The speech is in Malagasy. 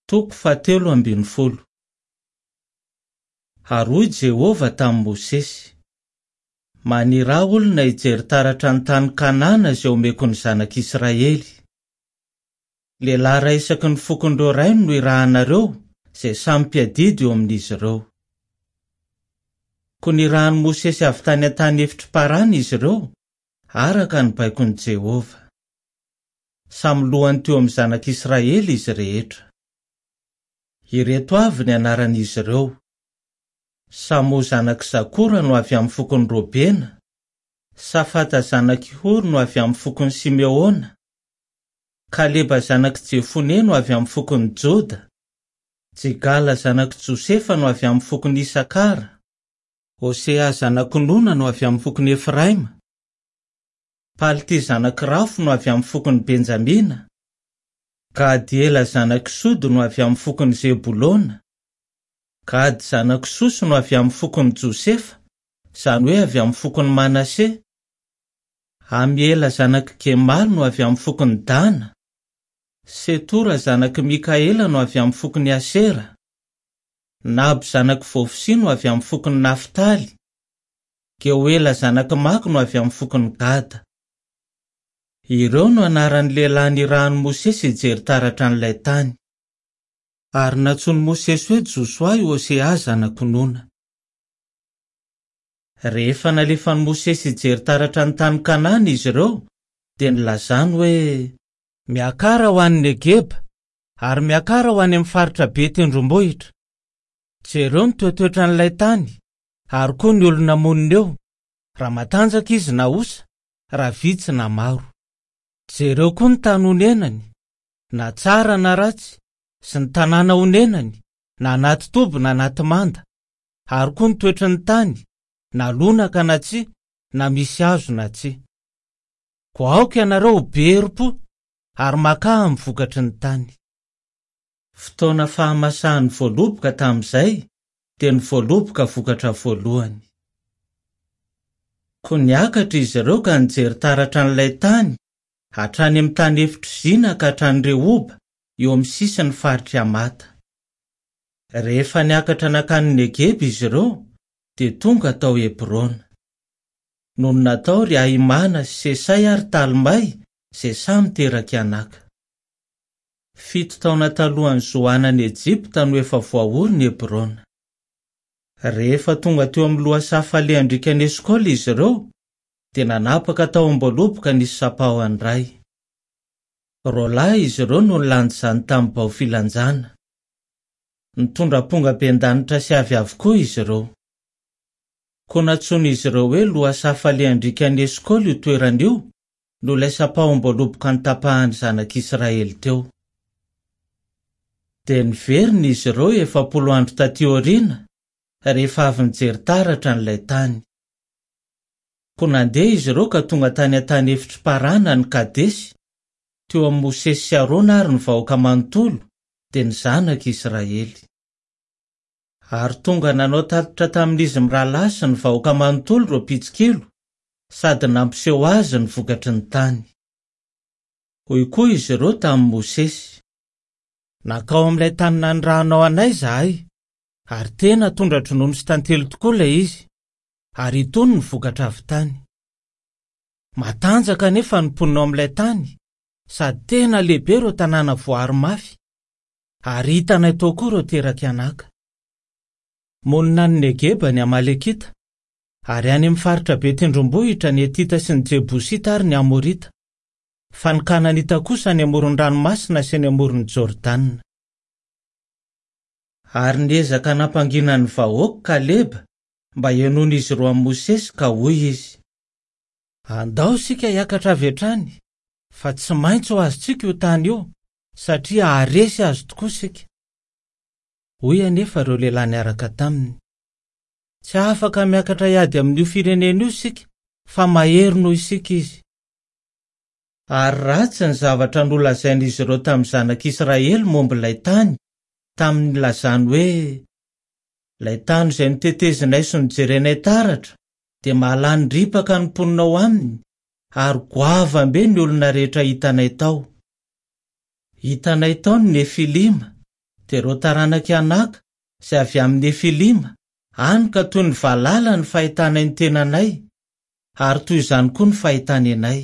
Toko fahatelo ambin'ny folo. Ary hoy Jehovah tamin'i Mosesy, Maniraha olona hijery taratra ny tany Kanana izay omeko ny zanak'Israely. Lehilahy iray isaky ny fokon'ireo rainy no irahanareo, izay samy mpiadidy eo amin'izy ireo. Koa nirahin'i Mosesy avy tany an-tany efitr'i Parana izy ireo, araka ny baikon'i Jehovah. Samy lohany teo amin'ny zanak'Israely izy rehetra. Ireto avy ny anaran'izy ireo, Samoa zanak'i Zakora no avy amin'ny fokon'i Robena, Safata zanak'i Hory no avy amin'ny fokon'i Simeona, Kaleba zanak'i Jefone no avy amin'ny fokon'i Joda, Jigala zanak'i Josefa no avy amin'ny fokon'i Isakara, Hosea zanak'i Nona no avy amin'ny fokon'i Efraima, Palty zanak'i Rafo no avy amin'ny fokon'i Benjamina, Gadiela zanak'i Sody no avy amin'ny fokon'i Zebolona, Gady zanak'i Sosy no avy amin'ny fokon'i Josefa, izany hoe avy amin'ny fokon'i Manase, Amiela zanak'i Gemaly no avy amin'ny fokon'i Dana, Setora zanak'i Mikaela no avy amin'ny fokon'i Asera, Naby zanak'i Vofsia no avy amin'ny fokon'i Naftaly, Geoela zanak'i Maky no avy amin'ny fokon'i Gada. Ireo no anaran'ny lehilahy nirahin'i Mosesy hijery taratra an'ilay tany. Ary nantsoin'i Mosesy hoe Josoa i Hosea zanak'i Nona. Rehefa nalefan'i Mosesy hijery taratra ny tany Kanana izy ireo, dia nilazany hoe. Miakara ho any Negeba, ary miakara ho any amin'ny faritra be tendrombohitra. Jereo ny toetoetran'ilay tany, ary koa ny olona monina eo, raha matanjaka izy na osa, raha vitsy na maro. Jereo koa ny tany onenany, na tsara na ratsy, sy ny tanàna onenany, na anaty toby na anaty manda, ary koa ny toetry ny tany, na lonaka na tsia, na misy hazo na tsia. Koa aoka ianareo ho be herim-po, ary makà amin'ny vokatry ny tany. Fotoana fahamasahan'ny voaloboka tamin'izay, dia ny voaloboka vokatra voalohany. Koa niakatra izy ireo ka nijery taratra an'ilay tany, hatrany amin'ny tany efitr'i Zina ka hatrany Rehoba, eo amin'ny sisin'ny faritr'i Hamata. Rehefa niakatra nankany Negeba izy ireo, dia tonga tao Hebrona. Nonina tao ry Ahimana sy Sesay ary Talmay, izay samy terak'i Anaka. Fito taona talohan'i Zoana any Ejipta no efa voaorina i Hebrona. Rehefa tonga teo amin'ny lohasaha falehan-driakan'i Eskola izy ireo, dia nanapaka tahom-boaloboka nisy sampaho iray. Roalahy izy ireo no nilanja izany tamin'ny bao filanjana. Nitondra ampongabendanitra sy avy avokoa izy ireo. Koa nantsoin'izy ireo hoe lohasaha falehan-driakan'i Eskola io toerana io, noho ilay sampahom-boaloboka notapahan'ny zanak'Israely teo. Dia niverina izy ireo 40 andro tatỳ aoriana, rehefa avy nijery taratra an'ilay tany. Koa nandeha izy ireo ka tonga tany an-tany efitr'i Parana any Kadesy, teo amin'i Mosesy sy Arona ary ny vahoaka manontolo, dia ny zanak'Israely. Ary tonga nanao tatitra tamin'izy mirahalahy sy ny vahoaka manontolo ireo mpitsikilo, sady nampiseho azy ny vokatry ny tany. Hoy koa izy ireo tamin'i Mosesy, Nankao amin'ilay tany nanirahanao anay izahay, ary tena tondra-dronono sy tantely tokoa ilay izy, ary itony ny vokatra avy tany. Matanjaka anefa ny mponina ao amin'ilay tany, sady tena lehibe ireo tanàna voaaro mafy, ary hitanay tao koa ireo terak'i Anaka. Monina any Negeba ny Amalekita, ary any amin'ny faritra be tendrombohitra ny Hetita sy ny Jebosita ary ny Amorita, fa ny Kananita kosa any amoron'ny ranomasina sy any amoron'i Jordana. Ary niezaka nampangina ny vahoaka Kaleba mba henoin'izy ireo amin'i Mosesy ka hoy izy, Andao isika hiakatra avy hatrany, fa tsy maintsy ho azontsika io tany io, satria haharesy azy tokoa isika. Hoy anefa ireo lehilahy niaraka taminy, Tsy afaka miakatra hiady amin'io firenena io isika, fa mahery noho isika izy. Ary ratsy ny zavatra nolazain'izy ireo tamin'ny zanak'Israely momba ilay tany, tamin'ny nilazany hoe, Ilay tany izay notetezinay sy nojerenay taratra dia mahalany ripaka ny mponina ao aminy, ary goavam-be ny olona rehetra hitanay tao. Hitanay tao ny Nefilima, Dia ireo taranak'i Anaka, izay avy amin'ny Nefilima, hany ka toy ny valala ny fahitanay ny tenanay, ary toy izany koa ny fahitany anay.